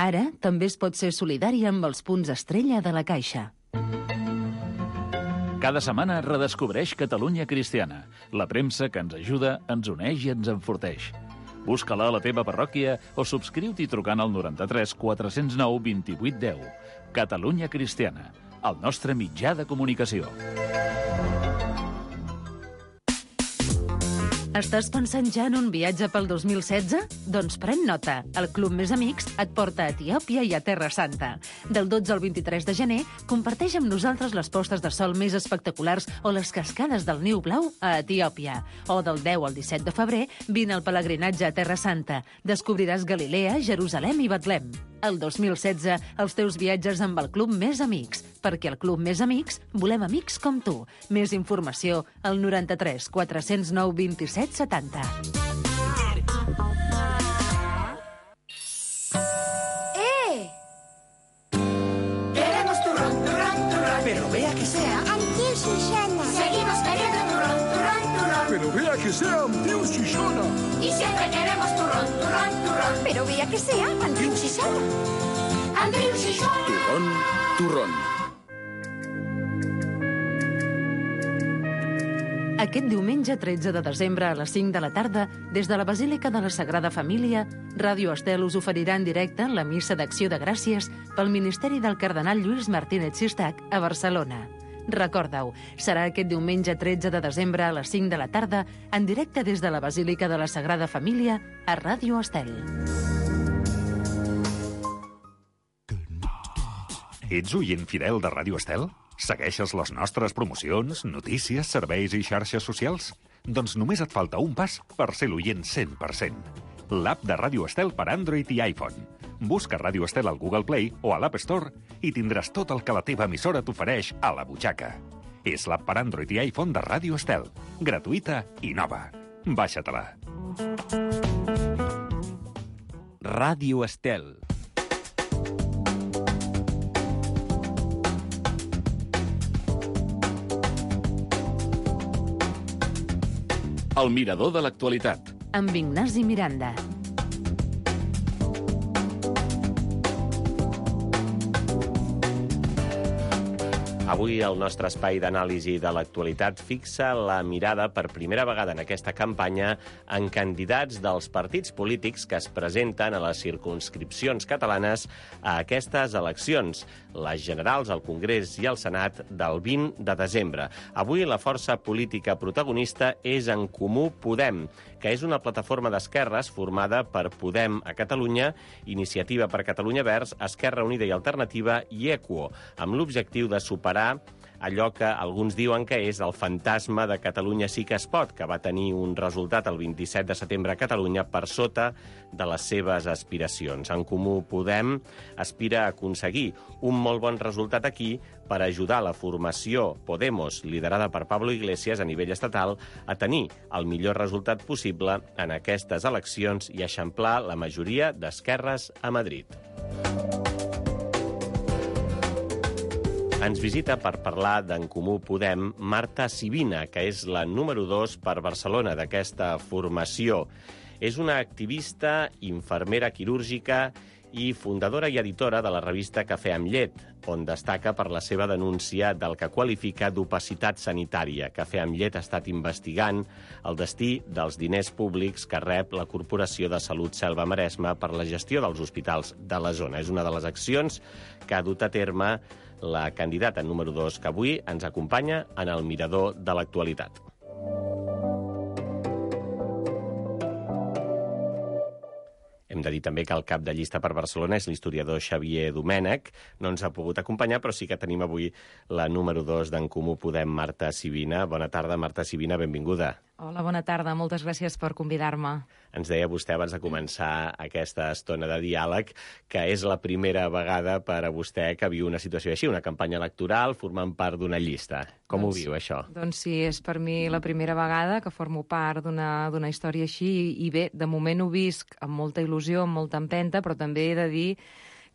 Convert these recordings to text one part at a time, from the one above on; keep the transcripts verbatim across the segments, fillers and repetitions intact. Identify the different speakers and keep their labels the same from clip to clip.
Speaker 1: Ara també es pot ser solidari amb els punts estrella de la Caixa.
Speaker 2: Cada setmana redescobreix Catalunya Cristiana, la premsa que ens ajuda, ens uneix i ens enforteix. Busca-la a la teva parròquia o subscriu-t'hi trucant al noranta-tres quatre cents nou vint-i-vuit deu. Catalunya Cristiana, el nostre mitjà de comunicació.
Speaker 1: Estàs pensant ja en un viatge pel dos mil setze? Doncs pren nota. El Club Més Amics et porta a Etiòpia i a Terra Santa. Del dotze al vint-i-tres de gener, comparteix amb nosaltres les postes de sol més espectaculars o les cascades del Niu Blau a Etiòpia. O del deu al disset de febrer, vine al pelegrinatge a Terra Santa. Descobriràs Galilea, Jerusalem i Betlem. El dos mil setze, els teus viatges amb el Club Més Amics. Perquè al Club Més Amics volem amics com tu. Més informació al noranta-tres quatre cents nou vint-i-set setanta.
Speaker 3: ¡Eh! Queremos turrón, turrón, turrón. Pero vea que sea
Speaker 4: Amb tiu Susana.
Speaker 3: Seguimos queriendo turrón, turrón, turrón.
Speaker 5: Pero vea que sea amb tiu Susana.
Speaker 3: Y siempre queremos turrón, turrón, turrón.
Speaker 4: Però vea que sea amb tiu Susana.
Speaker 3: Andreu Xixona.
Speaker 5: Turrón, turrón.
Speaker 1: Aquest diumenge tretze de desembre a les cinc de la tarda, des de la Basílica de la Sagrada Família, Ràdio Estel us oferirà en directe la missa d'acció de gràcies pel Ministeri del Cardenal Lluís Martínez Sistac a Barcelona. Recorda-ho, serà aquest diumenge tretze de desembre a les cinc de la tarda, en directe des de la Basílica de la Sagrada Família a Ràdio Estel.
Speaker 6: Ets oient fidel de Ràdio Estel? Segueixes les nostres promocions, notícies, serveis i xarxes socials? Doncs només et falta un pas per ser l'oient cent per cent. L'app de Ràdio Estel per Android i iPhone. Busca Ràdio Estel al Google Play o a l'App Store i tindràs tot el que la teva emissora t'ofereix a la butxaca. És l'app per Android i iPhone de Ràdio Estel. Gratuïta i nova. Baixa-te-la.
Speaker 7: Ràdio Estel.
Speaker 2: El mirador de l'actualitat.
Speaker 1: Amb Ignasi Miranda.
Speaker 8: Avui el nostre espai d'anàlisi de l'actualitat fixa la mirada per primera vegada en aquesta campanya en candidats dels partits polítics que es presenten a les circumscripcions catalanes a aquestes eleccions, les generals, al Congrés i al Senat del vint de desembre. Avui la força política protagonista és En Comú Podem, que és una plataforma d'esquerres formada per Podem a Catalunya, Iniciativa per Catalunya Verds, Esquerra Unida i Alternativa i Equo, amb l'objectiu de superar allò que alguns diuen que és el fantasma de Catalunya sí que es pot, que va tenir un resultat el vint-i-set de setembre a Catalunya per sota de les seves aspiracions. En Comú Podem aspira a aconseguir un molt bon resultat aquí per ajudar la formació Podemos, liderada per Pablo Iglesias a nivell estatal, a tenir el millor resultat possible en aquestes eleccions i eixamplar la majoria d'esquerres a Madrid. Ens visita per parlar d'En Comú Podem Marta Sibina, que és la número dos per Barcelona d'aquesta formació. És una activista, infermera quirúrgica i fundadora i editora de la revista Cafè amb llet, on destaca per la seva denúncia del que qualifica d'opacitat sanitària. Cafè amb llet ha estat investigant el destí dels diners públics que rep la Corporació de Salut Selva Maresma per la gestió dels hospitals de la zona. És una de les accions que ha dut a terme la candidata número dos, que avui ens acompanya en el mirador de l'actualitat. Hem de dir també que el cap de llista per Barcelona és l'historiador Xavier Domènech. No ens ha pogut acompanyar, però sí que tenim avui la número dos d'En Comú Podem, Marta Sibina. Bona tarda, Marta Sibina, benvinguda.
Speaker 9: Hola, bona tarda. Moltes gràcies per convidar-me.
Speaker 8: Ens deia vostè abans de començar aquesta estona de diàleg que és la primera vegada per a vostè que viu una situació així, una campanya electoral formant part d'una llista. Com doncs, ho viu, això?
Speaker 9: Doncs sí, és per mi la primera vegada que formo part d'una d'una història així i, i bé, de moment ho visc amb molta il·lusió, amb molta empenta, però també he de dir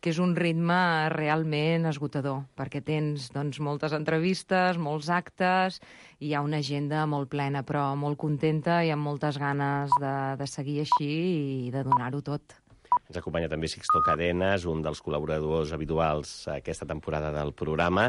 Speaker 9: que és un ritme realment esgotador, perquè tens doncs, moltes entrevistes, molts actes, i hi ha una agenda molt plena, però molt contenta i amb moltes ganes de, de seguir així i de donar-ho tot.
Speaker 8: Ens acompanya també Sixto Cadenes, un dels col·laboradors habituals aquesta temporada del programa.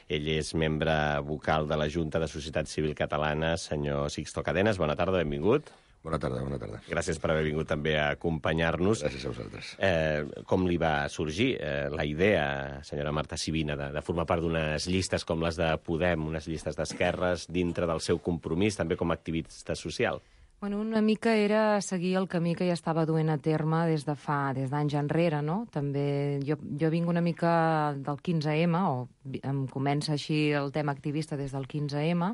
Speaker 8: Ell és membre vocal de la Junta de Societat Civil Catalana. Senyor Sixto Cadenes, bona tarda, benvingut.
Speaker 5: Bona tarda, bona tarda.
Speaker 8: Gràcies per haver vingut també a acompanyar-nos.
Speaker 5: Gràcies a vosaltres.
Speaker 8: Eh, com li va sorgir eh, la idea, senyora Marta Sibina, de, de formar part d'unes llistes com les de Podem, unes llistes d'esquerres, dintre del seu compromís, també com a activista social?
Speaker 9: Bueno, una mica era seguir el camí que ja estava duent a terme des de fa, des d'anys enrere, no? També jo, jo vinc una mica del quinze ema, o em comença així el tema activista des del quinze ema,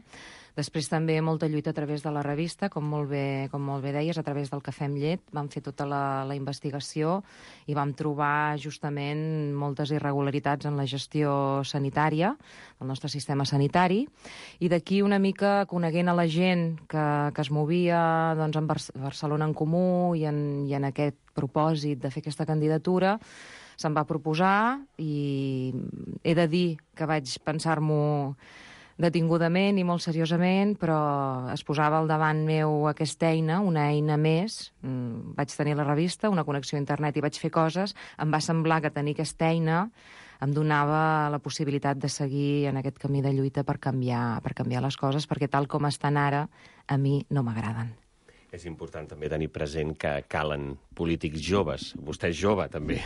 Speaker 9: després també molta lluita a través de la revista, com molt bé, com molt bé deies, a través del Cafè amb llet. Vam fer tota la, la investigació i vam trobar justament moltes irregularitats en la gestió sanitària, del nostre sistema sanitari, i d'aquí una mica coneguent a la gent que, que es movia doncs, en Bar- Barcelona en Comú i en, i en aquest propòsit de fer aquesta candidatura, se'm va proposar i he de dir que vaig pensar-m'ho detingudament i molt seriosament, però es posava al davant meu aquesta eina, una eina més. Vaig tenir la revista, una connexió a internet i vaig fer coses. Em va semblar que tenir aquesta eina em donava la possibilitat de seguir en aquest camí de lluita per canviar, per canviar les coses, perquè tal com estan ara, a mi no m'agraden.
Speaker 8: És important també tenir present que calen polítics joves. Vostè és jove, també.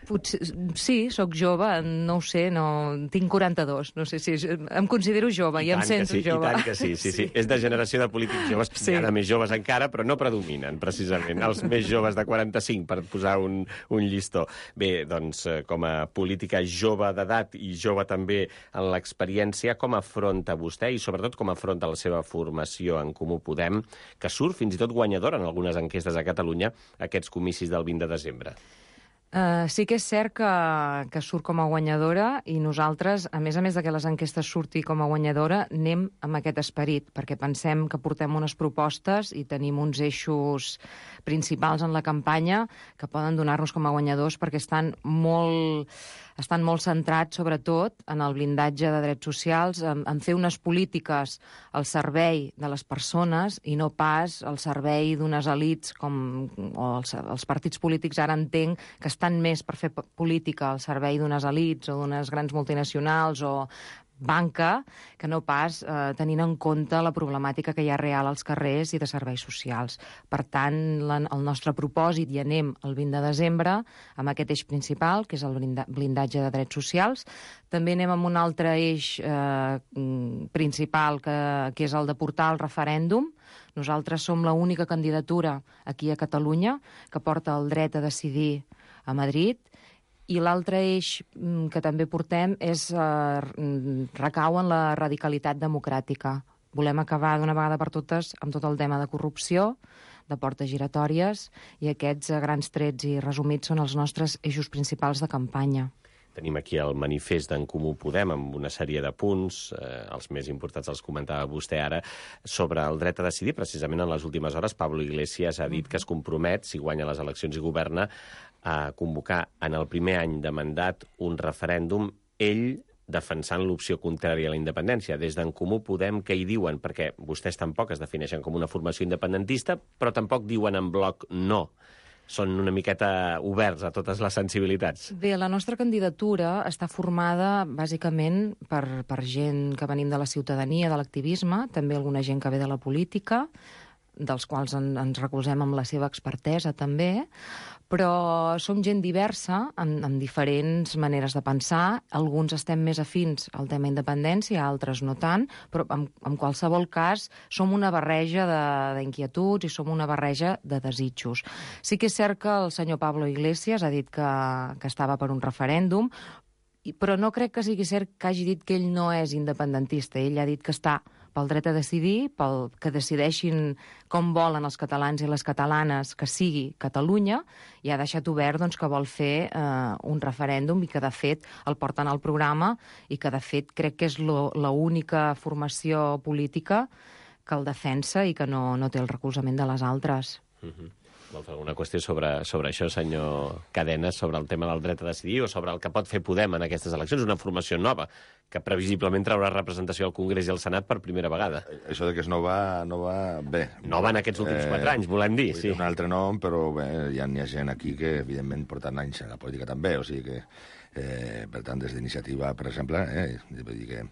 Speaker 9: Potser, sí, sóc jove, no ho sé, no, tinc quaranta-dos, no sé si em considero jove i, i em sento
Speaker 8: sí,
Speaker 9: jove.
Speaker 8: I tant que sí, sí, sí, sí. És de generació de polítics joves, sí. Hi ha de més joves encara, però no predominen, precisament, els més joves de quaranta-cinc, per posar un, un llistó. Bé, doncs, com a política jove d'edat i jove també en l'experiència, com afronta vostè i sobretot com afronta la seva formació en Comú Podem, que surt fins i tot guanyadora en algunes enquestes a Catalunya aquests comicis del vint de desembre?
Speaker 9: Uh, sí que és cert que, que surt com a guanyadora i nosaltres, a més a més de que les enquestes surti com a guanyadora, anem amb aquest esperit, perquè pensem que portem unes propostes i tenim uns eixos principals en la campanya que poden donar-nos com a guanyadors perquè estan molt, estan molt centrats, sobretot, en el blindatge de drets socials, en, en fer unes polítiques al servei de les persones i no pas al servei d'unes elits com o els, els partits polítics ara entenc que estan més per fer política al servei d'unes elits o d'unes grans multinacionals o banca, que no pas eh, tenint en compte la problemàtica que hi ha real als carrers i de serveis socials. Per tant, la, el nostre propòsit, i anem el vint de desembre, amb aquest eix principal, que és el blinda, blindatge de drets socials. També anem amb un altre eix eh, principal, que, que és el de portar el referèndum. Nosaltres som l'única candidatura aquí a Catalunya que porta el dret a decidir a Madrid. I l'altre eix que també portem és eh, recau en la radicalitat democràtica. Volem acabar d'una vegada per totes amb tot el tema de corrupció, de portes giratòries, i aquests eh, grans trets i resumits són els nostres eixos principals de campanya.
Speaker 8: Tenim aquí el manifest d'en Comú Podem amb una sèrie de punts, eh, els més importants els comentava vostè ara, sobre el dret a decidir. Precisament en les últimes hores Pablo Iglesias ha dit que es compromet, si guanya les eleccions i governa, a convocar en el primer any de mandat un referèndum, ell defensant l'opció contrària a la independència. Des d'en Comú Podem, què hi diuen? Perquè vostès tampoc es defineixen com una formació independentista, però tampoc diuen en bloc no. Són una miqueta oberts a totes les sensibilitats.
Speaker 9: Bé, la nostra candidatura està formada bàsicament per, per gent que venim de la ciutadania, de l'activisme, també alguna gent que ve de la política, dels quals en, ens recolzem amb la seva expertesa també, però som gent diversa, amb, amb diferents maneres de pensar. Alguns estem més afins al tema independència, altres no tant, però en, en qualsevol cas som una barreja d'inquietuds i som una barreja de desitjos. Sí que és cert que el senyor Pablo Iglesias ha dit que, que estava per un referèndum, però no crec que sigui cert que hagi dit que ell no és independentista. Ell ha dit que està pel dret a decidir, pel que decideixin com volen els catalans i les catalanes que sigui Catalunya, i ha deixat obert doncs, que vol fer eh, un referèndum i que, de fet, el porten al programa i que, de fet, crec que és l'única formació política que el defensa i que no, no té el recolzament de les altres.
Speaker 8: Mm-hmm. Vol fer alguna qüestió sobre, sobre això, senyor Cadenes, sobre el tema del dret a decidir o sobre el que pot fer Podem en aquestes eleccions? Una formació nova que previsiblement traurà representació al Congrés i al Senat per primera vegada.
Speaker 10: Això de que és nova, nova... Bé.
Speaker 8: Nova en aquests últims quatre anys, volem dir, sí.
Speaker 10: Un altre nom, però bé, ja n'hi ha gent aquí que, evidentment, porten anys a la política també, o sigui que, eh, per tant, des d'iniciativa, per exemple, eh, vull dir que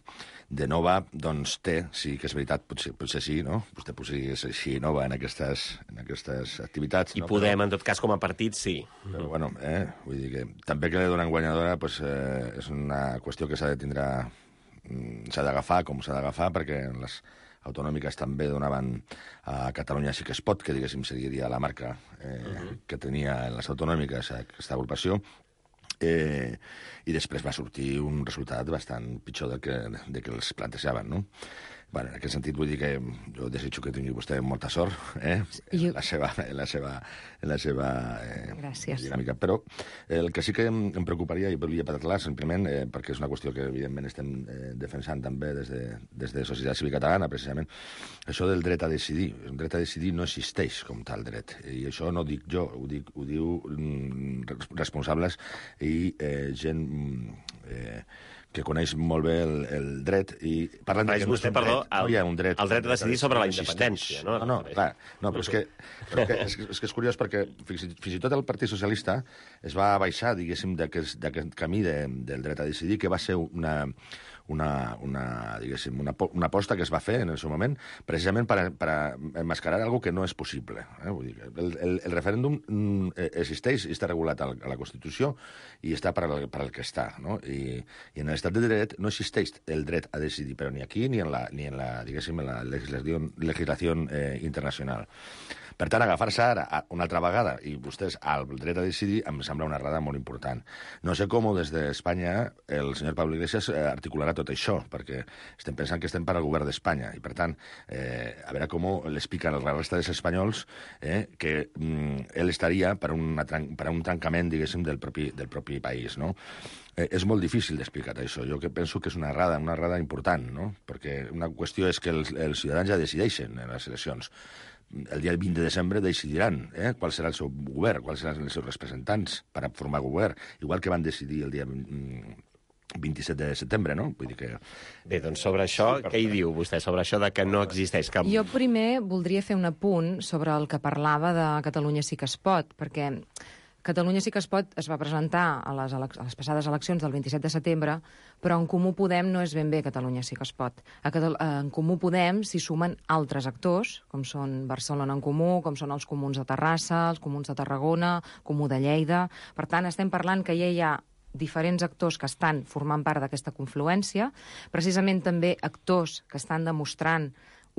Speaker 10: de nova, doncs té, sí que és veritat, potser, potser sí, no? Vostè potser és així nova en aquestes, en aquestes activitats.
Speaker 8: I
Speaker 10: no?
Speaker 8: Podem,
Speaker 10: però,
Speaker 8: en tot cas, com a partit, sí.
Speaker 10: Però, bueno, eh, vull dir que també que li donen guanyadora pues, eh, és una qüestió que s'ha de tindre, s'ha d'agafar com s'ha d'agafar, perquè les autonòmiques també donaven a Catalunya Sí que es pot, que diguéssim seria la marca eh, uh-huh. que tenia en les autonòmiques aquesta agrupació, eh, i després va sortir un resultat bastant pitjor del que, de que els plantejaven, no? Bueno, en aquest sentit vull dir que jo desitjo que tingui vostè molta sort eh? en, la seva, en la seva, en la seva eh, dinàmica. Però el que sí que em, em preocuparia, i volia parlar simplement, eh, perquè és una qüestió que evidentment estem eh, defensant també des de, des de Societat Cívica Catalana, precisament, això del dret a decidir. El dret a decidir no existeix com tal dret. I això no ho dic jo, ho, dic, ho diu mm, responsables i eh, gent... Eh, que coneix molt bé el, el dret i parlen de que no és un
Speaker 8: perdó,
Speaker 10: dret, no hi ha un dret.
Speaker 8: El dret a decidir sobre la independència, no?
Speaker 10: No, no, clar, no, però és que, però que, és, és que és curiós perquè fins, fins i tot el Partit Socialista es va baixar, diguéssim, d'aquest camí de, del dret a decidir, que va ser una... una, una, diguéssim, una, una aposta que es va fer en el seu moment, precisament per, per enmascarar algo que no és possible. Eh? Vull dir que el, el, el referèndum existeix i està regulat a la, a la Constitució i està per al, per al que està. No? I, I en l'estat de dret no existeix el dret a decidir, però ni aquí ni en la, ni en la, diguéssim, en la legislació, legislació eh, internacional. Per tant, agafar-se ara una altra vegada i vostès al dret a decidir em sembla una errada molt important. No sé com des d'Espanya el senyor Pablo Iglesias articularà tot això, perquè estem pensant que estem per al govern d'Espanya i, per tant, eh, a veure com l'explica a la resta dels espanyols eh, que mm, ell estaria per, una, per un tancament, diguéssim, del propi, del propi país, no? Eh, és molt difícil d'explicar això. Jo que penso que és una errada, una errada important, no? Perquè una qüestió és que els, els ciutadans ja decideixen en les eleccions. El dia vint de desembre decidiran eh, qual serà el seu govern, quals seran els seus representants per a formar govern, igual que van decidir el dia vint-i-set de setembre, no? Vull dir que...
Speaker 8: Bé, doncs sobre això, sí, què hi diu vostè, sobre això de que no existeix cap...
Speaker 9: Jo primer voldria fer un apunt sobre el que parlava de Catalunya Sí que es pot, perquè Catalunya Sí que es pot es va presentar a les, a les passades eleccions del vint-i-set de setembre, però en Comú Podem no és ben bé Catalunya Sí que es pot. A Catal en Comú Podem s'hi sumen altres actors, com són Barcelona en Comú, com són els comuns de Terrassa, els comuns de Tarragona, Comú de Lleida... Per tant, estem parlant que ja hi ha diferents actors que estan formant part d'aquesta confluència, precisament també actors que estan demostrant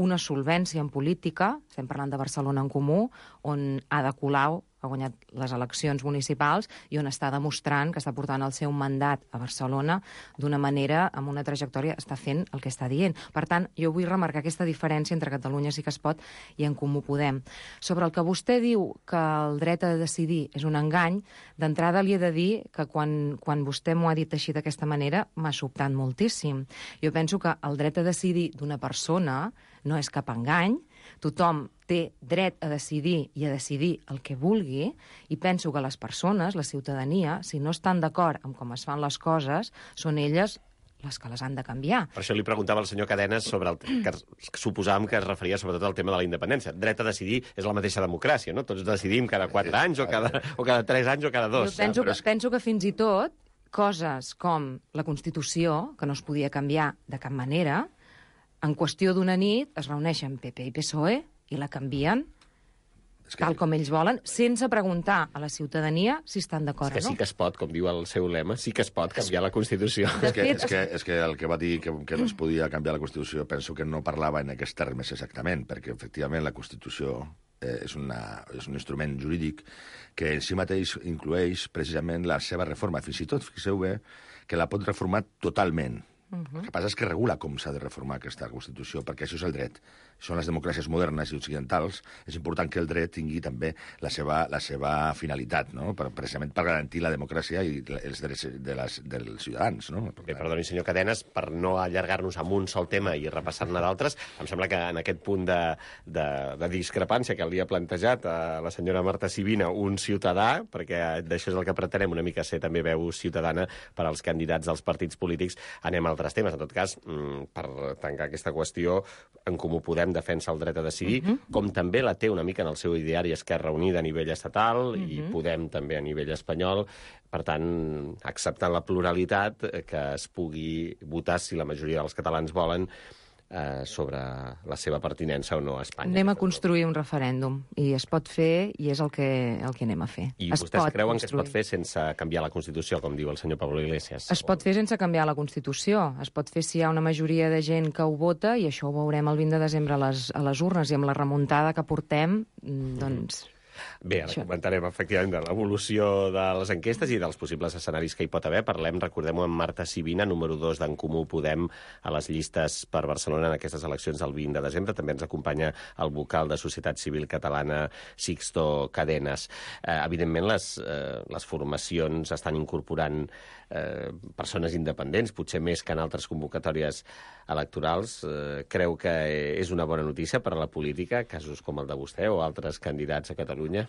Speaker 9: una solvència en política, estem parlant de Barcelona en Comú, on Ada Colau ha guanyat les eleccions municipals i on està demostrant que està portant el seu mandat a Barcelona d'una manera, amb una trajectòria, està fent el que està dient. Per tant, jo vull remarcar aquesta diferència entre Catalunya Sí que es pot i en Comú Podem. Sobre el que vostè diu que el dret a decidir és un engany, d'entrada li he de dir que quan, quan vostè m'ho ha dit així d'aquesta manera m'ha sobtat moltíssim. Jo penso que el dret a decidir d'una persona no és cap engany, tothom té dret a decidir i a decidir el que vulgui, i penso que les persones, la ciutadania, si no estan d'acord amb com es fan les coses, són elles les que les han de canviar.
Speaker 8: Per això li preguntava al senyor Cadenes sobre el que suposàvem que es referia sobretot al tema de la independència. Dret a decidir és la mateixa democràcia, no? Tots decidim cada quatre anys o cada, o cada tres anys o cada dos.
Speaker 9: Jo penso, que, penso que fins i tot coses com la Constitució, que no es podia canviar de cap manera, en qüestió d'una nit es reuneixen P P i P S O E i la canvien que... tal com ells volen, sense preguntar a la ciutadania si estan d'acord o no.
Speaker 8: És que sí que es pot, com diu el seu lema, sí que es pot canviar la Constitució.
Speaker 10: És que, és que, és que el que va dir que, que no es podia canviar la Constitució penso que no parlava en aquests termes exactament, perquè efectivament la Constitució eh, és, una, és un instrument jurídic que en si mateix inclueix precisament la seva reforma. Fins i tot, fixeu bé, que la pot reformar totalment. Uh-huh. El que passa és que regula com s'ha de reformar aquesta Constitució, perquè això és el dret. són les democràcies modernes i occidentals, és important que el dret tingui també la seva, la seva finalitat, no? Per, precisament per garantir la democràcia i els drets de les, dels ciutadans. No?
Speaker 8: Bé, perdoni, senyor Cadenes, per no allargar-nos amb un sol tema i repassar-ne d'altres, em sembla que en aquest punt de, de, de discrepància que li ha plantejat a la senyora Marta Sibina, un ciutadà, perquè d'això és el que pretenem una mica ser també veu ciutadana per als candidats dels partits polítics, anem a altres temes. En tot cas, per tancar aquesta qüestió, en Comú Podem defensa el dret a decidir, uh-huh. com també la té una mica en el seu ideari Esquerra Unida a nivell estatal, uh-huh. i Podem també a nivell espanyol. Per tant, acceptant la pluralitat, que es pugui votar, si la majoria dels catalans volen, eh, sobre la seva pertinença o no a Espanya.
Speaker 9: Anem a construir un referèndum, i es pot fer, i és el que, el que anem a fer.
Speaker 8: I
Speaker 9: es
Speaker 8: vostès creuen
Speaker 9: construir.
Speaker 8: que es pot fer sense canviar la Constitució, com diu el senyor Pablo Iglesias?
Speaker 9: Es pot fer sense canviar la Constitució. Es pot fer si hi ha una majoria de gent que ho vota, i això ho veurem el vint de desembre a les, a les urnes, i amb la remuntada que portem, doncs...
Speaker 8: Bé, ara Això. comentarem, efectivament, de l'evolució de les enquestes i dels possibles escenaris que hi pot haver. Parlem, recordem-ho, amb Marta Sibina, número dos d'en Comú Podem a les llistes per Barcelona en aquestes eleccions del vint de desembre. També ens acompanya el vocal de Societat Civil Catalana, Sixto Cadenes. Eh, evidentment, les, eh, les formacions estan incorporant eh, persones independents, potser més que en altres convocatòries electorals. Eh, creu que és una bona notícia per a la política, casos com el de vostè o altres candidats a Catalunya?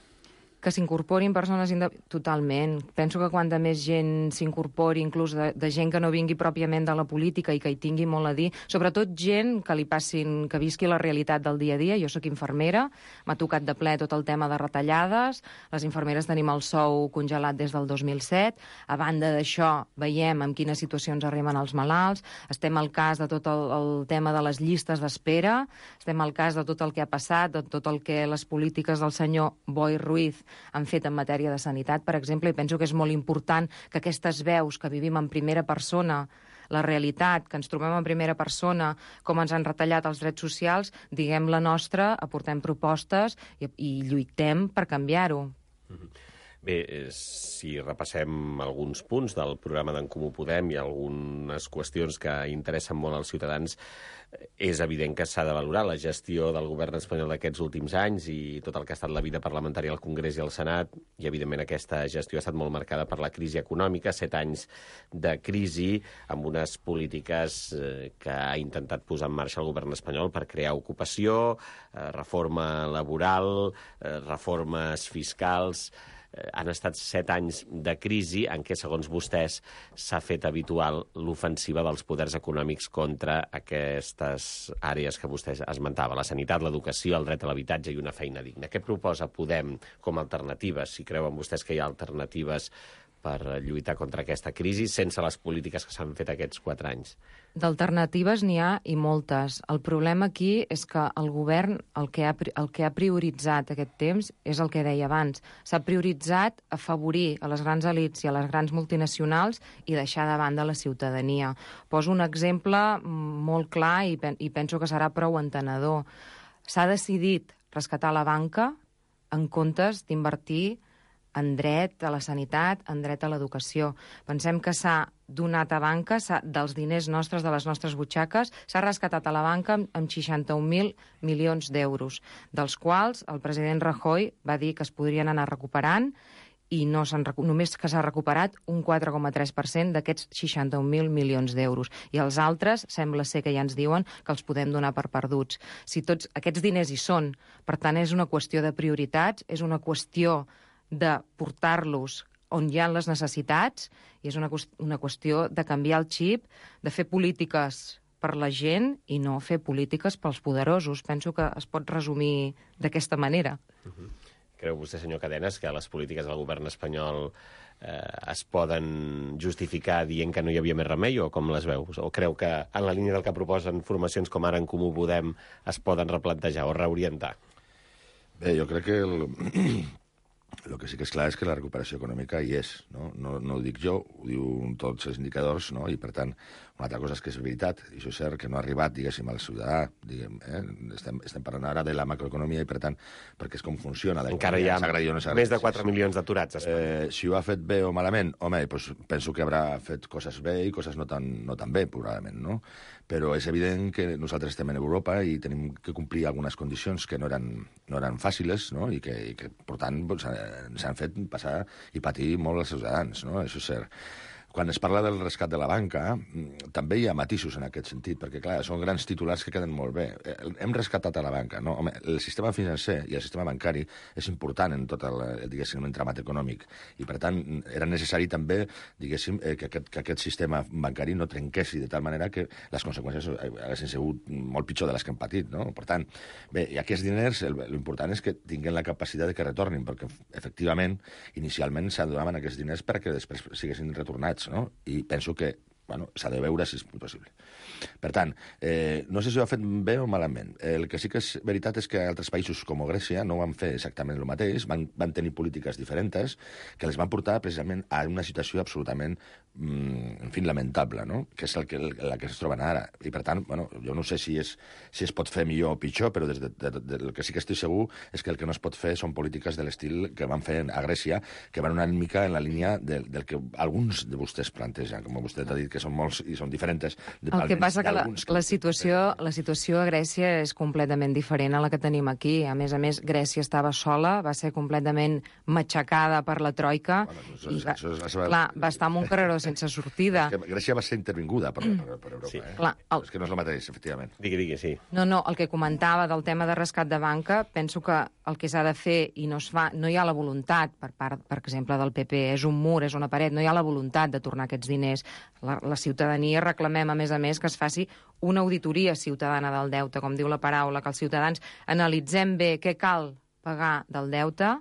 Speaker 9: Que s'incorporin persones independents... Totalment. Penso que quanta més gent s'incorpori, inclús de, de gent que no vingui pròpiament de la política i que hi tingui molt a dir, sobretot gent que li passin, que visqui la realitat del dia a dia. Jo sóc infermera, m'ha tocat de ple tot el tema de retallades, les infermeres tenim el sou congelat des del dos mil set, a banda d'això veiem en quines situacions arriben els malalts, estem al cas de tot el, el tema de les llistes d'espera, estem al cas de tot el que ha passat, de tot el que les polítiques del senyor Boi Ruiz han fet en matèria de sanitat, per exemple, i penso que és molt important que aquestes veus que vivim en primera persona, la realitat, que ens trobem en primera persona, com ens han retallat els drets socials, diguem la nostra, aportem propostes i, i lluitem per canviar-ho.
Speaker 8: Mm-hmm. Bé, si repassem alguns punts del programa d'en Comú Podem i algunes qüestions que interessen molt als ciutadans, és evident que s'ha de valorar la gestió del govern espanyol d'aquests últims anys i tot el que ha estat la vida parlamentària al Congrés i al Senat, i evidentment aquesta gestió ha estat molt marcada per la crisi econòmica, set anys de crisi amb unes polítiques que ha intentat posar en marxa el govern espanyol per crear ocupació, reforma laboral, reformes fiscals. Han estat set anys de crisi en què, segons vostès, s'ha fet habitual l'ofensiva dels poders econòmics contra aquestes àrees que vostè esmentava, la sanitat, l'educació, el dret a l'habitatge i una feina digna. Què proposa Podem com a alternatives? Si creuen vostès que hi ha alternatives per lluitar contra aquesta crisi sense les polítiques que s'han fet aquests quatre anys?
Speaker 9: D'alternatives n'hi ha i moltes. El problema aquí és que el govern el que ha, el que ha prioritzat aquest temps és el que deia abans. S'ha prioritzat afavorir a les grans elits i a les grans multinacionals i deixar de banda la ciutadania. Poso un exemple molt clar i, pen i penso que serà prou entenedor. S'ha decidit rescatar la banca en comptes d'invertir en dret a la sanitat, en dret a l'educació. Pensem que s'ha donat a banca, dels diners nostres, de les nostres butxaques, s'ha rescatat a la banca amb seixanta-un mil milions d'euros, dels quals el president Rajoy va dir que es podrien anar recuperant i no només que s'ha recuperat un quatre coma tres per cent d'aquests seixanta-un mil milions d'euros. I els altres sembla ser que ja ens diuen que els podem donar per perduts. Si tots aquests diners hi són, per tant, és una qüestió de prioritats, és una qüestió de portar-los on hi ha les necessitats, i és una, una qüestió de canviar el xip, de fer polítiques per la gent i no fer polítiques pels poderosos. Penso que es pot resumir d'aquesta manera.
Speaker 8: Uh-huh. Creu vostè, senyor Cadenes, que les polítiques del govern espanyol eh, es poden justificar dient que no hi havia més remei, o com les veus? O creu que en la línia del que proposen formacions com ara en Comú Podem es poden replantejar o reorientar?
Speaker 10: Bé, jo crec que el... El que sí que és clar és que la recuperació econòmica hi és, no? No, no ho dic jo, ho diuen tots els indicadors, no? I, per tant, una altra cosa és que és veritat, i això és cert, que no ha arribat, diguéssim, al ciutadà, diguem, eh? estem, estem parlant ara de la macroeconomia i, per tant, perquè és com funciona.
Speaker 8: Encara hi ha no més de quatre milions d'aturats.
Speaker 10: Eh, si ho ha fet bé o malament, home, doncs penso que haurà fet coses bé i coses no tan, no tan bé, probablement, no? però és evident que nosaltres estem en Europa i tenim que complir algunes condicions que no eren, no eren fàcils, no? I, que, i que, per tant, doncs, ens han fet passar i patir molt els ciutadans, no? Això és cert. Quan es parla del rescat de la banca, també hi ha matisos en aquest sentit, perquè, clar, són grans titulars que queden molt bé. Hem rescatat a la banca, no? Home, el sistema financer i el sistema bancari és important en tot el, diguéssim, entramat econòmic. I, per tant, era necessari també, diguéssim, que aquest, que aquest sistema bancari no trenquessi de tal manera que les conseqüències haguessin sigut molt pitjor de les que hem patit, no? Per tant, bé, i aquests diners, l'important és que tinguin la capacitat de que retornin, perquè, efectivament, inicialment s'adonaven aquests diners perquè després siguessin retornats, no? I penso que bueno, s'ha de veure si és possible. Per tant, eh, no sé si ho ha fet bé o malament. El que sí que és veritat és que altres països com Grècia no van fer exactament el mateix, van, van tenir polítiques diferents que les van portar precisament a una situació absolutament, mm, en fi, lamentable, no? Que és el que, la que es troben ara. I, per tant, bueno, jo no sé si, és, si es pot fer millor o pitjor, però des de, de, de, del que sí que estic segur és que el que no es pot fer són polítiques de l'estil que van fer a Grècia, que van una mica en la línia del, del que alguns de vostès plantegen, com vostè ha dit, que són molts i són diferents.
Speaker 9: El que passa que la, la, situació, la situació a Grècia és completament diferent a la que tenim aquí. A més a més, Grècia estava sola, va ser completament matxacada per la troika, bueno, això, i va, això, això, clar, va estar en un carreró sense sortida.
Speaker 10: És que Grècia va ser intervinguda per, per, per Europa. Sí. Eh? Clar, el... És que no és el mateix, efectivament.
Speaker 8: Digui, digui, sí.
Speaker 9: No, no, el que comentava del tema de rescat de banca, penso que el que s'ha de fer i no es fa, no hi ha la voluntat per part, per exemple, del P P, és un mur, és una paret, no hi ha la voluntat de tornar aquests diners. La, la ciutadania reclamem, a més a més, que es faci una auditoria ciutadana del deute, com diu la paraula, que els ciutadans analitzem bé què cal pagar del deute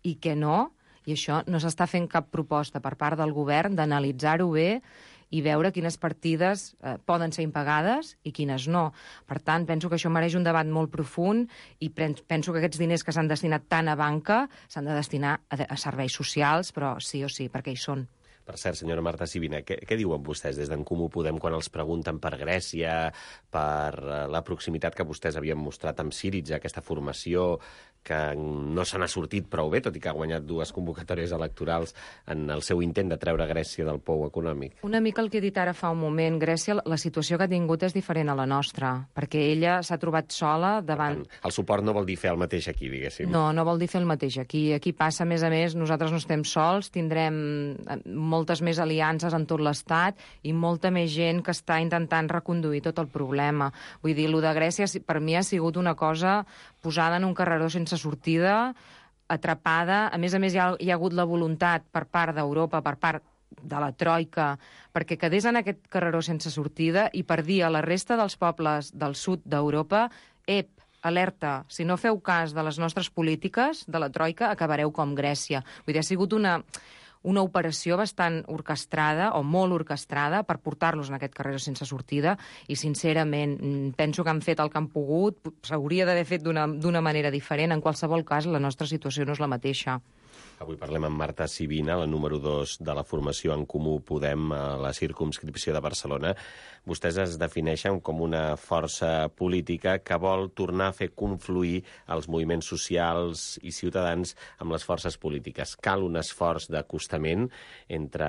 Speaker 9: i què no, i això no s'està fent cap proposta per part del govern d'analitzar-ho bé i veure quines partides eh, poden ser impagades i quines no. Per tant, penso que això mereix un debat molt profund i penso que aquests diners que s'han destinat tant a banca s'han de destinar a, a serveis socials, però sí o sí, perquè hi són.
Speaker 8: Per cert, senyora Marta Sibina, què, què diuen vostès des d'en Comú Podem quan els pregunten per Grècia, per la proximitat que vostès havien mostrat amb Syriza, aquesta formació que no se n'ha sortit prou bé, tot i que ha guanyat dues convocatòries electorals en el seu intent de treure Grècia del pou econòmic?
Speaker 9: Una mica el que he dit ara fa un moment. Grècia, la situació que ha tingut és diferent a la nostra, perquè ella s'ha trobat sola davant...
Speaker 8: El suport no vol dir fer el mateix aquí, diguéssim.
Speaker 9: No, no vol dir fer el mateix aquí. Aquí passa, a més a més, nosaltres no estem sols, tindrem moltes més aliances en tot l'Estat i molta més gent que està intentant reconduir tot el problema. Vull dir, el de Grècia per mi ha sigut una cosa posada en un carreró sense sortida, atrapada. A més a més, hi ha, hi ha hagut la voluntat per part d'Europa, per part de la troika, perquè quedés en aquest carreró sense sortida i per dir a la resta dels pobles del sud d'Europa, ep, alerta, si no feu cas de les nostres polítiques, de la troika, acabareu com Grècia. Vull dir, ha sigut una... una operació bastant orquestrada, o molt orquestrada, per portar-los en aquest carreró sense sortida, i sincerament penso que han fet el que han pogut, s'hauria d'haver fet d'una manera diferent. En qualsevol cas, la nostra situació no és la mateixa.
Speaker 8: Avui parlem amb Marta Sibina, la número dos de la formació En Comú Podem a la circumscripció de Barcelona. Vostès es defineixen com una força política que vol tornar a fer confluir els moviments socials i ciutadans amb les forces polítiques. Cal un esforç d'acostament entre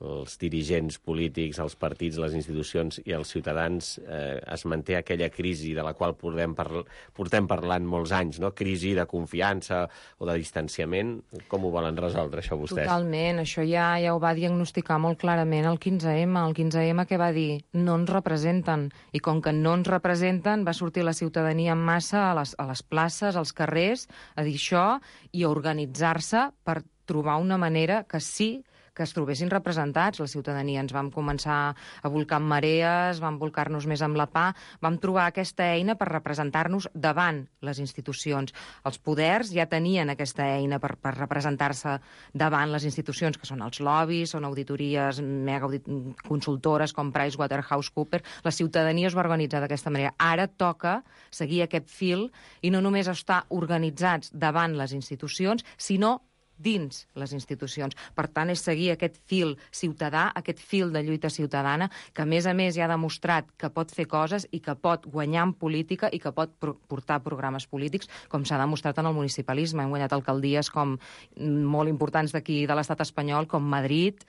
Speaker 8: els dirigents polítics, els partits, les institucions i els ciutadans. Eh, es manté aquella crisi de la qual portem, parl portem parlant molts anys, no? Crisi de confiança o de distanciament. Com ho volen resoldre, això, vostès?
Speaker 9: Totalment. Això ja, ja ho va diagnosticar molt clarament el quinze ema. El quinze ema què va dir? No ens representen. I com que no ens representen, va sortir la ciutadania en massa a les, a les places, als carrers, a dir això i a organitzar-se per trobar una manera que sí que es trobessin representats. La ciutadania ens vam començar a volcar amb marees, vam volcar-nos més amb la P A, vam trobar aquesta eina per representar-nos davant les institucions. Els poders ja tenien aquesta eina per, per representar-se davant les institucions, que són els lobbies, són auditories mega audit consultores com PricewaterhouseCoopers. La ciutadania es va organitzar d'aquesta manera. Ara toca seguir aquest fil i no només estar organitzats davant les institucions, sinó dins les institucions. Per tant, és seguir aquest fil ciutadà, aquest fil de lluita ciutadana, que a més a més ja ha demostrat que pot fer coses i que pot guanyar en política i que pot portar programes polítics, com s'ha demostrat en el municipalisme. Hem guanyat alcaldies com molt importants d'aquí de l'estat espanyol, com Madrid,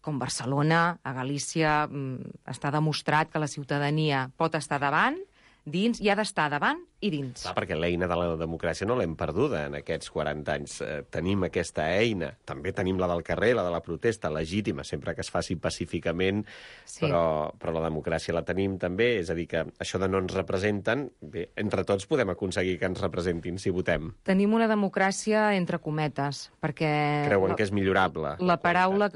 Speaker 9: com Barcelona, a Galícia, està demostrat que la ciutadania pot estar davant, dins, i ha d'estar davant i dins.
Speaker 8: Clar, perquè l'eina de la democràcia no l'hem perduda en aquests quaranta anys. Eh, tenim aquesta eina. També tenim la del carrer, la de la protesta, legítima, sempre que es faci pacíficament, sí. però, però la democràcia la tenim també. És a dir, que això de no ens representen, bé, entre tots podem aconseguir que ens representin si votem.
Speaker 9: Tenim una democràcia entre cometes, perquè...
Speaker 8: Creuen
Speaker 9: la,
Speaker 8: que és millorable.
Speaker 9: La paraula...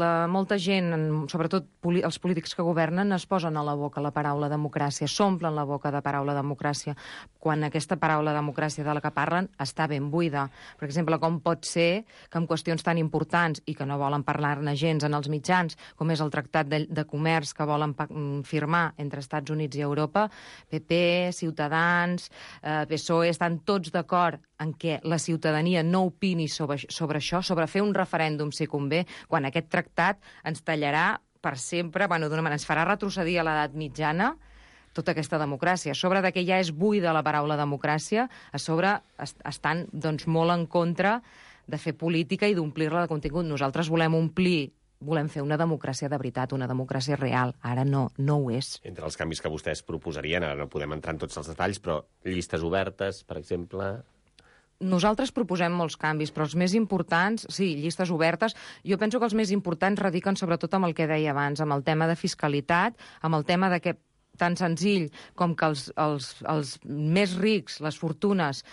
Speaker 9: La, molta gent, sobretot poli, els polítics que governen, es posen a la boca la paraula democràcia, s'omplen la boca de paraula democràcia, quan aquesta paraula democràcia de la que parlen està ben buida. Per exemple, com pot ser que en qüestions tan importants i que no volen parlar-ne gens en els mitjans, com és el tractat de, de comerç que volen firmar entre Estats Units i Europa, P P, Ciutadans, eh, P S O E, estan tots d'acord en què la ciutadania no opini sobre, sobre això, sobre fer un referèndum si convé, quan aquest tractat ens tallarà per sempre, bueno, d'una manera, ens farà retrocedir a l'edat mitjana tota aquesta democràcia. A sobre de que ja és buida la paraula democràcia, a sobre est estan doncs, molt en contra de fer política i d'omplir-la de contingut. Nosaltres volem omplir, volem fer una democràcia de veritat, una democràcia real. Ara no, no ho és.
Speaker 8: Entre els canvis que vostès proposarien, ara no podem entrar en tots els detalls, però llistes obertes, per exemple...
Speaker 9: Nosaltres proposem molts canvis, però els més importants, sí, llistes obertes, jo penso que els més importants radiquen sobretot amb el que deia abans, amb el tema de fiscalitat, amb el tema de que tan senzill com que els, els, els més rics, les fortunes,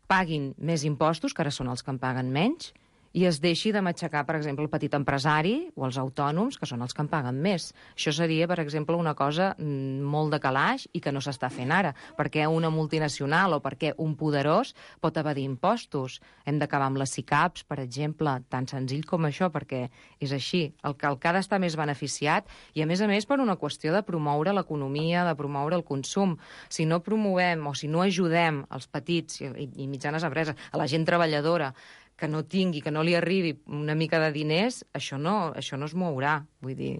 Speaker 9: paguin més impostos, que ara són els que en paguen menys, i es deixi de matxacar, per exemple, el petit empresari o els autònoms, que són els que en paguen més. Això seria, per exemple, una cosa molt de calaix i que no s'està fent ara, perquè una multinacional o perquè un poderós pot evadir impostos. Hem d'acabar amb les SICAPs, per exemple, tan senzill com això, perquè és així. El que, el que ha d'estar més beneficiat, i a més a més per una qüestió de promoure l'economia, de promoure el consum. Si no promovem o si no ajudem els petits i, i mitjanes empreses, a la gent treballadora, que no tingui, que no li arribi una mica de diners, això no, això no es mourà, vull dir...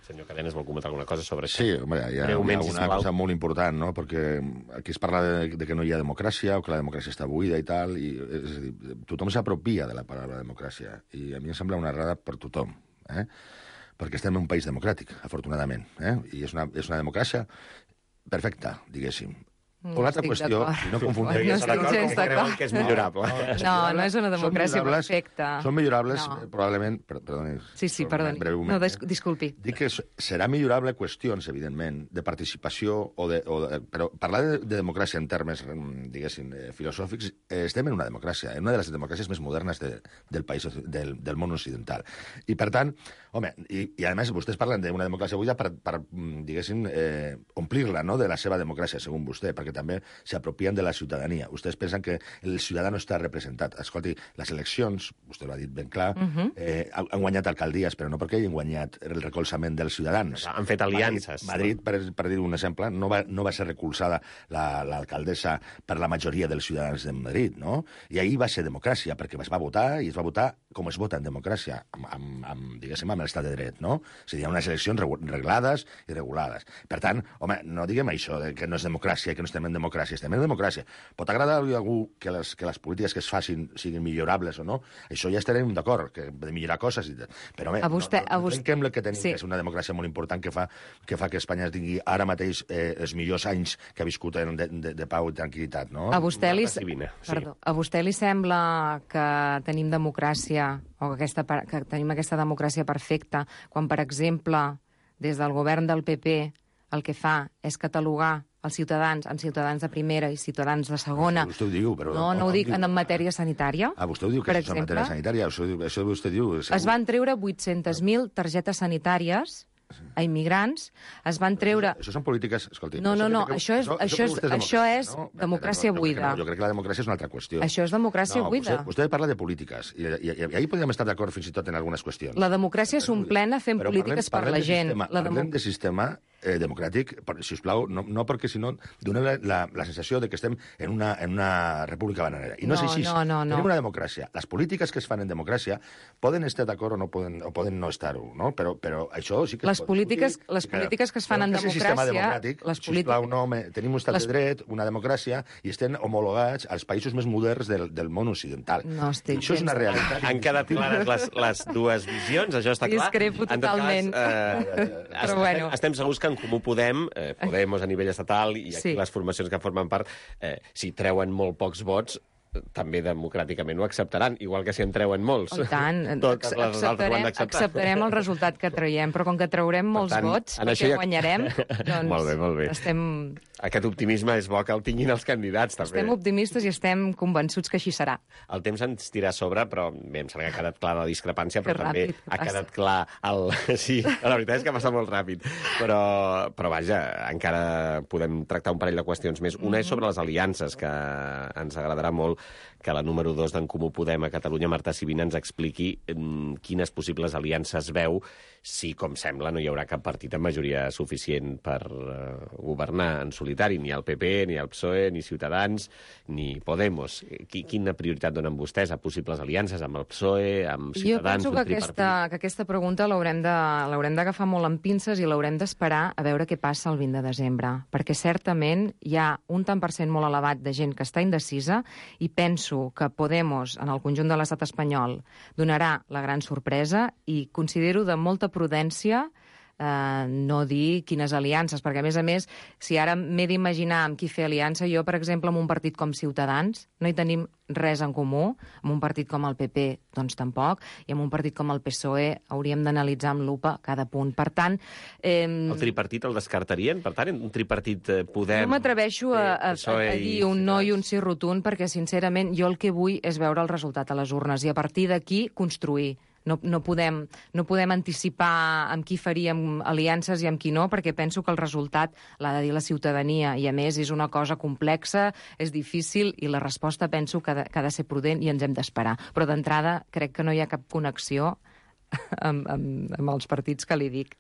Speaker 8: Senyor Cadenes, vol comentar alguna cosa sobre això?
Speaker 10: Sí, home, hi ha, hi ha una cosa molt important, no?, perquè aquí es parla de, de que no hi ha democràcia o que la democràcia està buida i tal, i és a dir, tothom s'apropia de la paraula democràcia, i a mi em sembla una errada per tothom, eh?, perquè estem en un país democràtic, afortunadament, eh?, i és una, és una democràcia perfecta, diguéssim. O l'altra qüestió, no confonguem...
Speaker 9: No estic gens d'acord.
Speaker 8: Que és millorable.
Speaker 9: No, no és una democràcia perfecta.
Speaker 10: Són millorables, probablement... Perdoni.
Speaker 9: Sí, sí, perdoni. No, disculpi.
Speaker 10: Dic que serà millorable qüestions, evidentment, de participació, o de, però parlar de democràcia en termes, diguéssim, filosòfics, estem en una democràcia, en una de les democràcies més modernes del país, del món occidental. I, per tant, home, i a més, vostès parlen d'una democràcia buida per, diguéssim, omplir-la, no?, de la seva democràcia, segons vostè, perquè també s'apropien de la ciutadania. Vostès pensen que el ciutadà no està representat. Escolti, les eleccions, vostè l'ha dit ben clar, uh-huh. eh, han guanyat alcaldies, però no perquè hagin guanyat el recolzament dels ciutadans.
Speaker 8: Han fet aliances.
Speaker 10: Madrid, no? Madrid per, per dir un exemple, no va, no va ser recolzada l'alcaldessa la, per la majoria dels ciutadans de Madrid, no? I ahir va ser democràcia, perquè es va votar, i es va votar com es vota en democràcia, amb, amb, amb diguéssim, amb l'estat de dret, no? És a dir, unes eleccions reglades i regulades. Per tant, home, no diguem això, de que no és democràcia, que no estem en democràcia, estem en democràcia. Pot agradar a algú que les, que les polítiques que es facin siguin millorables o no? Això ja estarem d'acord, que de millorar coses. Però bé, a vostè, no, no, no trenquem el que tenim, sí. que és una democràcia molt important que fa que, fa que Espanya tingui ara mateix eh, els millors anys que ha viscut en, de, de, de pau i tranquil·litat, no?
Speaker 9: A vostè, li... Perdó, a vostè li sembla que tenim democràcia o que, aquesta, que tenim aquesta democràcia perfecta quan, per exemple, des del govern del P P el que fa és catalogar els ciutadans en ciutadans de primera i ciutadans de segona.
Speaker 10: No, vostè ho diu, però...
Speaker 9: No, no ho dic en matèria sanitària.
Speaker 10: Ah, vostè ho diu, que és en matèria sanitària. Això, això vostè diu... Segur.
Speaker 9: Es van treure vuit-centes mil targetes sanitàries a immigrants, es van treure...
Speaker 10: Això, això són polítiques... Escolti,
Speaker 9: no, no, no, això és, això és, això és no? democràcia
Speaker 10: no,
Speaker 9: buida.
Speaker 10: No, jo crec que la democràcia és una altra qüestió.
Speaker 9: Això és democràcia
Speaker 10: no,
Speaker 9: buida.
Speaker 10: Vostè, vostè parla de polítiques, i, i, i ahir podríem estar d'acord fins i tot en algunes qüestions.
Speaker 9: La democràcia és un plena fent
Speaker 10: però
Speaker 9: polítiques
Speaker 10: parlem,
Speaker 9: per la gent.
Speaker 10: Sistema,
Speaker 9: la
Speaker 10: parlem de sistema eh, democràtic, per, si us plau, no, no perquè si no dona la, la, la sensació de que estem en una, en una república bananera. I no,
Speaker 9: No,
Speaker 10: és així.
Speaker 9: no, no, no.
Speaker 10: Tenim una democràcia. Les polítiques que es fan en democràcia poden estar d'acord o no poden, o poden no estar-ho, no? Però, però això sí que
Speaker 9: Les
Speaker 10: es pot
Speaker 9: polítiques,
Speaker 10: discutir.
Speaker 9: les polítiques que es fan
Speaker 10: Però
Speaker 9: en
Speaker 10: que és un sistema
Speaker 9: democràcia...
Speaker 10: democràtic,
Speaker 9: Les
Speaker 10: sisplau, no, me, tenim un estat
Speaker 9: les-
Speaker 10: de dret, una democràcia, i estem homologats als països més moderns del, del món occidental.
Speaker 9: No estic
Speaker 10: I això és una
Speaker 9: gens
Speaker 10: realitat.
Speaker 8: Han quedat clares les, les dues visions, això està clar.
Speaker 9: Discrepo
Speaker 8: En tot
Speaker 9: totalment.
Speaker 8: Cas, eh,
Speaker 9: Però
Speaker 8: estem,
Speaker 9: bueno.
Speaker 8: estem segurs que en Comú Podem, eh, Podemos a nivell estatal i aquí
Speaker 9: Sí.
Speaker 8: les formacions que formen part, eh, si treuen molt pocs vots, eh, també democràticament ho acceptaran, igual que si en treuen molts.
Speaker 9: Oh, i tant.
Speaker 8: Totes les altres ho han
Speaker 9: Acceptarem,
Speaker 8: d'acceptar.
Speaker 9: acceptarem el resultat que traiem, però com que traurem molts
Speaker 8: tant,
Speaker 9: vots,
Speaker 8: en
Speaker 9: perquè
Speaker 8: això ja-
Speaker 9: guanyarem, doncs
Speaker 8: Molt bé, molt bé.
Speaker 9: estem...
Speaker 8: Aquest optimisme és bo que el tinguin els candidats, també.
Speaker 9: Estem optimistes i estem convençuts que així serà.
Speaker 8: El temps ens tira a sobre, però bé, em sembla que ha quedat clara la discrepància, però
Speaker 9: Que
Speaker 8: també
Speaker 9: ràpid que
Speaker 8: ha
Speaker 9: passa.
Speaker 8: quedat clar el... Sí, la veritat és que passa molt ràpid. Però, però vaja, encara podem tractar un parell de qüestions més. Una és sobre les aliances, que ens agradarà molt que la número dos d'en Comú Podem a Catalunya, Marta Sibina, ens expliqui mm, quines possibles aliances veu si, com sembla, no hi haurà cap partit amb majoria suficient per uh, governar en solitari, ni el P P, ni el P S O E, ni Ciutadans, ni Podemos. Qui, quina prioritat donen vostès a possibles aliances amb el P S O E, amb
Speaker 9: Jo
Speaker 8: Ciutadans,
Speaker 9: penso
Speaker 8: un
Speaker 9: que
Speaker 8: tripartit?
Speaker 9: aquesta, que aquesta pregunta l'haurem de- l'haurem d'agafar molt amb pinces i l'haurem d'esperar a veure què passa el vint de desembre, perquè certament hi ha un tant per cent molt elevat de gent que està indecisa i penso que Podemos, en el conjunt de l'estat espanyol, donarà la gran sorpresa i considero de molta prudència eh, no dir quines aliances, perquè, a més a més, si ara m'he d'imaginar amb qui fer aliança, jo, per exemple, amb un partit com Ciutadans, no hi tenim res en comú, amb un partit com el P P, doncs tampoc, i amb un partit com el P S O E hauríem d'analitzar amb lupa cada punt. Per tant... Eh,
Speaker 8: El tripartit el descartarien? Per tant, un tripartit eh, Podem...
Speaker 9: no m'atreveixo a, a,
Speaker 8: P S O E
Speaker 9: a, a
Speaker 8: i
Speaker 9: dir un no i
Speaker 8: Ciutadans.
Speaker 9: un sí rotund, perquè, sincerament, jo el que vull és veure el resultat a les urnes i a partir d'aquí construir. No, no, podem, no podem anticipar amb qui faríem aliances i amb qui no, perquè penso que el resultat l'ha de dir la ciutadania, i a més és una cosa complexa, és difícil, i la resposta penso que ha de, que ha de ser prudent i ens hem d'esperar. Però d'entrada crec que no hi ha cap connexió amb, amb, amb els partits que li dic.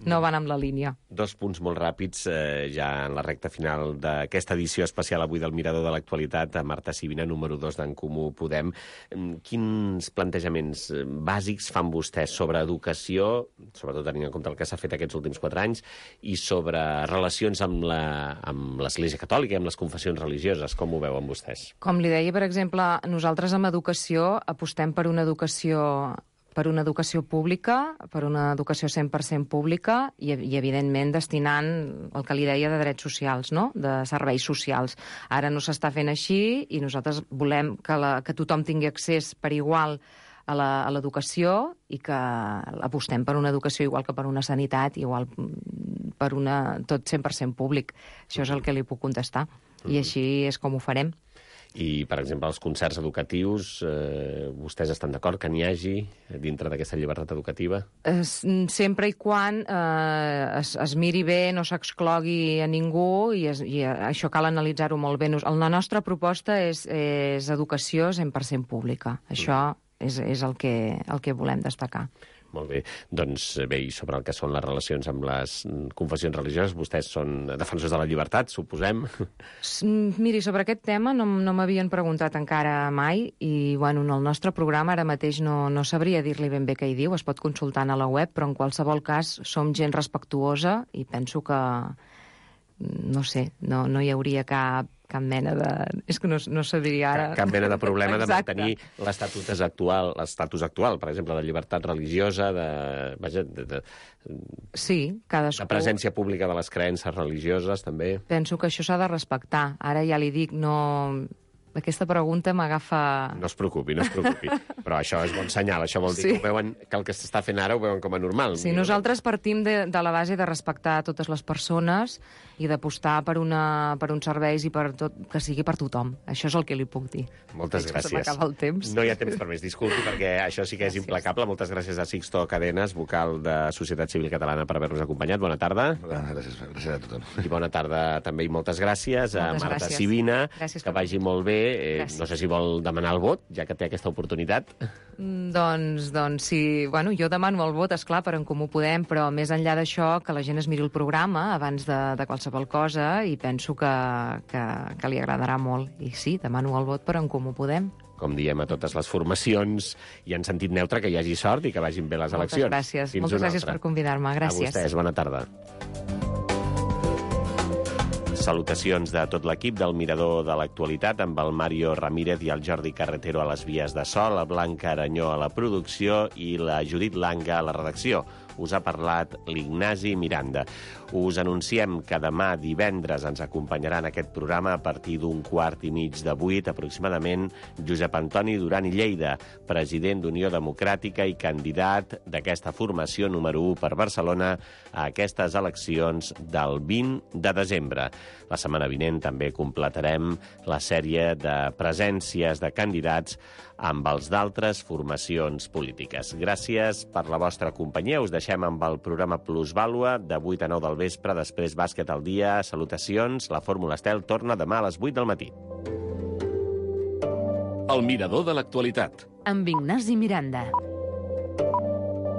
Speaker 9: No van amb la línia.
Speaker 8: Dos punts molt ràpids, eh, ja en la recta final d'aquesta edició especial avui del Mirador de l'Actualitat, a Marta Sibina, número dos d'en Comú Podem. Mm, Quins plantejaments eh, bàsics fan vostès sobre educació, sobretot tenint en compte el que s'ha fet aquests últims quatre anys, i sobre relacions amb la, amb l'Església Catòlica i amb les confessions religioses? Com ho veuen vostès?
Speaker 9: Com li deia, per exemple, nosaltres amb educació apostem per una educació per una educació pública, per una educació cent per cent pública i, i evidentment, destinant el que li deia de drets socials, no? De serveis socials. Ara no s'està fent així i nosaltres volem que, la, que tothom tingui accés per igual a la- a l'educació i que apostem per una educació igual que per una sanitat, igual per una, tot cent per cent públic. Això és el que li puc contestar. I així és com ho farem.
Speaker 8: I, per exemple, els concerts educatius, eh, vostès estan d'acord que n'hi hagi dintre d'aquesta llibertat educativa?
Speaker 9: Es, sempre i quan eh, es, es miri bé, no s'exclogui a ningú, i, es, i això cal analitzar-ho molt bé. Nos- La nostra proposta és, és educació cent per cent pública. Això és, és el, que, el que volem destacar.
Speaker 8: Molt bé. Doncs bé, i sobre el que són les relacions amb les confessions religioses, vostès són defensors de la llibertat, suposem?
Speaker 9: S- Miri, sobre aquest tema no, m- no m'havien preguntat encara mai i, bueno, en el nostre programa ara mateix no, no sabria dir-li ben bé què hi diu, es pot consultar a la web, però en qualsevol cas som gent respectuosa i penso que, no sé, no, no hi hauria cap, cap mena de... És que no, no sabria ara...
Speaker 8: Cap, cap mena de problema de
Speaker 9: Exacte.
Speaker 8: mantenir l'estatus actual, l'estatus actual, per exemple, de llibertat religiosa, de, vaja, de, de,
Speaker 9: Sí, cadascú...
Speaker 8: de presència pública de les creences religioses, també.
Speaker 9: Penso que això s'ha de respectar. Ara ja li dic, no... Aquesta pregunta m'agafa...
Speaker 8: No es preocupi, no es preocupi. Però això és bon senyal, això vol dir
Speaker 9: Sí.
Speaker 8: que, ho veuen, que el que s'està fent ara ho veuen com a normal.
Speaker 9: Sí, nosaltres partim de, de la base de respectar totes les persones i d'apostar per, una, per uns serveis i per tot, que sigui per tothom. Això és el que li puc dir.
Speaker 8: Moltes
Speaker 9: Veig que se
Speaker 8: gràcies.
Speaker 9: m'acaba el temps.
Speaker 8: No hi ha temps per més, disculpi, perquè això sí que és implacable. Moltes gràcies a Sixto Cadenes, vocal de Societat Civil Catalana, per haver-nos acompanyat. Bona tarda.
Speaker 10: Gràcies, gràcies a tothom.
Speaker 8: I bona tarda també i moltes gràcies a
Speaker 9: Moltes
Speaker 8: Marta
Speaker 9: gràcies.
Speaker 8: Sibina.
Speaker 9: Gràcies
Speaker 8: Que
Speaker 9: per
Speaker 8: vagi molt bé Eh, no sé si vol demanar el vot, ja que té aquesta oportunitat.
Speaker 9: Mm, Doncs, doncs sí, bueno, jo demano el vot, esclar, per En Comú Podem, però més enllà d'això, que la gent es miri el programa abans de, de qualsevol cosa, i penso que, que, que li agradarà molt. I sí, demano el vot per En Comú Podem.
Speaker 8: Com diem a totes les formacions, i en sentit neutre, que hi hagi sort i que vagin bé les
Speaker 9: Moltes
Speaker 8: eleccions.
Speaker 9: gràcies,
Speaker 8: Fins
Speaker 9: moltes
Speaker 8: una
Speaker 9: gràcies
Speaker 8: altra.
Speaker 9: per convidar-me. Gràcies.
Speaker 8: A vostès, bona tarda. Salutacions de tot l'equip del Mirador de l'Actualitat, amb el Mario Ramírez i el Jordi Carretero a les vies de so, la Blanca Aranyó a la producció i la Judit Langa a la redacció. Us ha parlat l'Ignasi Miranda. Us anunciem que demà divendres ens acompanyarà en aquest programa a partir d'un quart i mig de vuit, aproximadament, Josep Antoni Duran i Lleida, president d'Unió Democràtica i candidat d'aquesta formació número u per Barcelona a aquestes eleccions del vint de desembre. La setmana vinent també completarem la sèrie de presències de candidats amb els d'altres formacions polítiques. Gràcies per la vostra companyia. Us deixem amb el programa Plusvàlua de vuit a nou del vespre, després Bàsquet al dia. Salutacions. La Fórmula Estel torna demà a les vuit del matí.
Speaker 2: El Mirador de l'Actualitat.
Speaker 1: Amb Ignasi Miranda.